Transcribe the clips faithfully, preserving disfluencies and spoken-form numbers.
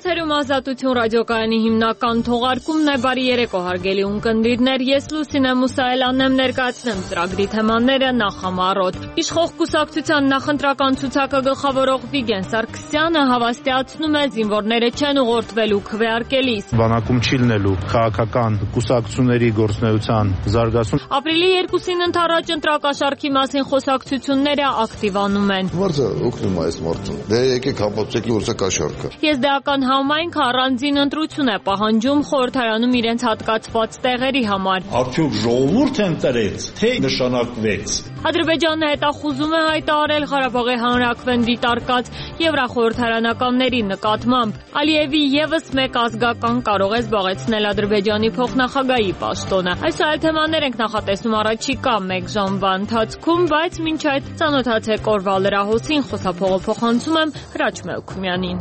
Եթերում Ազատություն ռադիոկայանի հիմնական թողարկումն է։ Բարի երեկո հարգելի ունկնդիրներ, ես Լուսինե Մուսայելյանն եմ, ներկայացնեմ ծրագրի թեմաները նախամարոտ։ Իշխող կուսակցության նախընտրական ցուցակը գլխավորող Վիգեն Սարգսյանը հավաստիացնում է, զինվորները չեն ուղղորդվելու քվեարկելիս։ Բանակում չի լինելու քաղաքական կուսակցությունների գործունեության զարգացում։ Ապրիլի երկուսին ընթառաջ ընտրակաշառքի մասին խոսակցությունները ակտիվանում են։ Մարդը օգնում է այս մարդուն։ Դե եկեք հապացեք որսա կաշառքը։ Եզդեական համայնքը առանձին ընտրություն է պահանջում խորհրդարանում իրենց հատկացված տեղերի համար։ Արդյոք ժողովուրդ ընտրեց, թե նշանակվեց։ Ադրբեջանը հետախուզում է հայտարարել Ղարաբաղի հանրաքվեն դիտարկած եվրախորհրդարանականների նկատմամբ։ Ալիևի ևս մեկ ազգական կարող է զբաղեցնել Ադրբեջանի փոխնախագահի պաշտոնը։ Այս այլ թեմաներ ենք նախատեսում առաջիկա մեկ ժամվա ընթացքում, բայց մինչ այդ ծանոթացեք օրվա լրահոսին, խոսափողը փոխանցում եմ Հրաչ Մելքումյանին։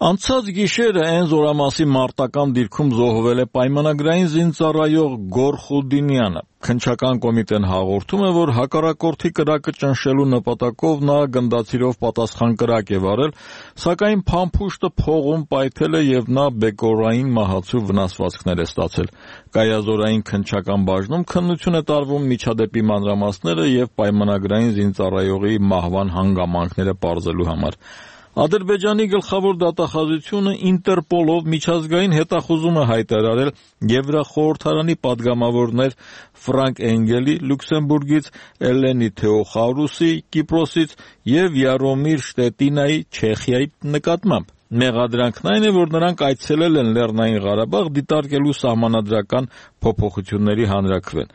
Անցած գիշերը այն զորամասի մարտական դիրքում զոհվել է պայմանագրային զինծառայող Գոր Խուդինյանը։ Քննչական կոմիտեն հաղորդում է, որ հակառակորդի կրակը ճնշելու նպատակով նա գնդացիրով պատասխան կրակ է վարել, սակայն փամփուշտը փողում պայթել է եւ նա բեկորային մահացու վնասվածքներ է ստացել։ Կայազորային քննչական բաժնում քննություն է տարվում միջադեպի մանրամասները եւ պայմանագրային զինծառայողի մահվան հանգամանքները պարզելու համար։ Ադրբեջանի գլխավոր դատախազությունը Ինտերպոլով միջազգային հետախուզում է հայտարարել Եվրախորհրդարանի падգամավորներ Ֆրանկ Էնգելի Լյուքսեմբուրգից, Էլենի Թեոխարուսի Կիպրոսից եւ Յարոմիր Շտետինայի Չեխիայի նկատմամբ։ Մեղադրանքն այն է, որ նրանք այցելել են Լեռնային Ղարաբաղ դիտարկելու սահմանադրական փոփոխությունների հանրաքվեն։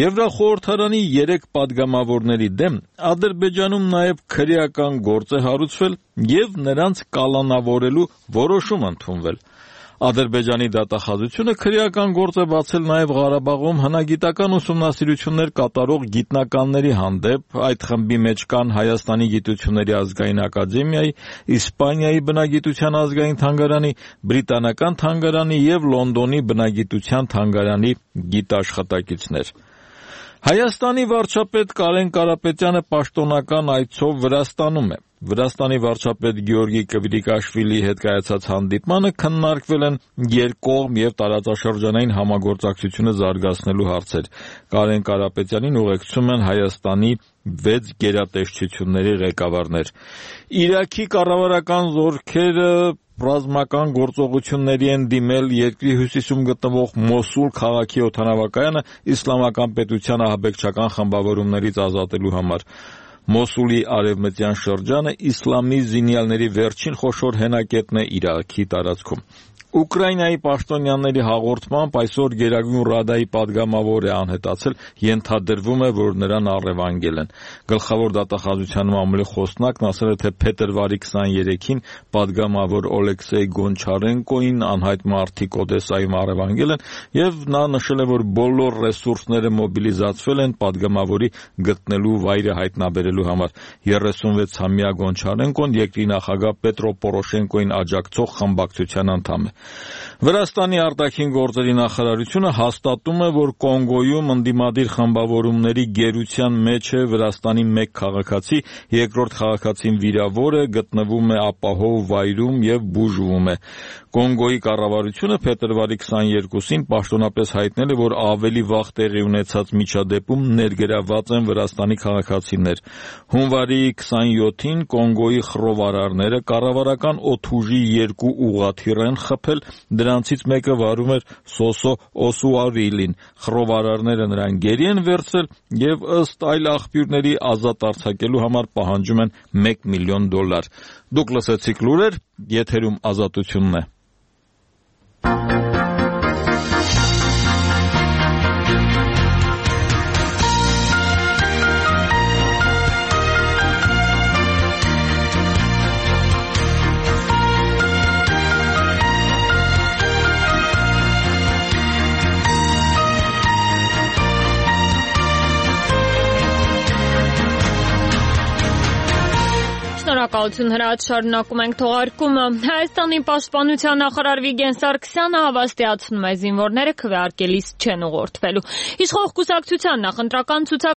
Եվրախորհրդարանի երեք падգամավորների դեմ Ադրբեջանում նաև քրեական գործ է հարուցվել եւ նրանց կալանավորելու որոշում ընդունվել։ Ադրբեջանի դատախազությունը քրեական գործ է բացել նաև Ղարաբաղում հնագիտական ուսումնասիրություններ կատարող գիտնականների հանդեպ, այդ խմբի մեջ կան Հայաստանի գիտությունների ազգային ակադեմիայի, Իսպանիայի բնագիտության ազգային թանգարանի, Բրիտանական թանգարանի եւ Լոնդոնի բնագիտության թանգարանի գիտաշխատակիցներ։ Հայաստանի վարչապետ Կարեն Կարապետյանը պաշտոնական այցով Վրաստանում է։ Վրաստանի վարչապետ Գեորգի Կվիրիկաշվիլիի հետ կայացած հանդիպմանը քննարկվել են երկկողմ եւ տարածաշրջանային համագործակցությունը զարգացնելու հարցեր։ Կարեն Կարապետյանին ուղեկցում են Հայաստանի վեց գերատեսչությունների ղեկավարներ։ Իրաքի կառավարական զորքերը ռազմական գործողությունների են դիմել երկրի հյուսիսում գտնվող Մոսուլ քաղաքի օդանավակայանը իսլամական պետության ահաբեկչական խմբավորումներից ազատելու համար։ Մոսուլի արևմտյան շրջանը իսլամի զինյալների վերջին խոշոր հենակետն է Իրաքի տարածքում։ Ուկրաինայի պաշտոնյաների հաղորդմամբ այսօր Գերագույն Ռադայի падգամավոր է անհետացել, ենթադրվում է, որ նրան առևանգել են։ Գլխավոր դատախազության մամուլի խոսնակն ասել է, թե փետրվարի քսաներեքին падգամավոր Օլեքսեյ Գոնչարենկոին անհայտ մարդիկ Օդեսայում առևանգել են եւ նա նշել է, որ բոլոր ռեսուրսները մոբիլիզացվել են падգամավորի գտնելու վայրը հայտնաբերելու համար։ երեսունվեցամյա Գոնչարենկոն երկրի նախագահ Պետրո Պորոշենկոին աջակցող խմբակցության անդամ է։ Վրաստանի արտաքին գործերի նախարարությունը հաստատում է, որ Կոնգոյում ընդդիմադիր խմբավորումների գերության մեջ է Վրաստանի մեկ քաղաքացի, երկրորդ քաղաքացին վիրավոր է, գտնվում է ապահով վայրում եւ բուժվում է։ Կոնգոյի կառավարությունը փետրվարի քսաներկուսին պաշտոնապես հայտնել է, որ ավելի վաղ տեղի ունեցած միջադեպում ներգրավված են Վրաստանի քաղաքացիներ։ Հունվարի քսաներկուսին Կոնգոյի խռովարարները կառավարական օդուժի երկու ուղղաթիռ են խփել, դրանցից մեկը վարում էր Սոսո Օսուարիլին։ Խռովարարները նրան գերի են վերցրել եւ ըստ այլ աղբյուրների ազատ արձակելու համար պահանջում են մեկ միլիոն դոլար։ Դուք լսեցիք լուրեր, եթերում Ազատությունն է։ Շնորհակալություն Հրաչ, շարունակում ենք թողարկումը։ Հայաստանի պաշտպանության նախարար Վիգեն Սարգսյանը հավաստիացնում է, զինվորները քվեարկելիս չեն ուղղորդվելու։ Իշխող կուսակցության նախընտրական ցուցակ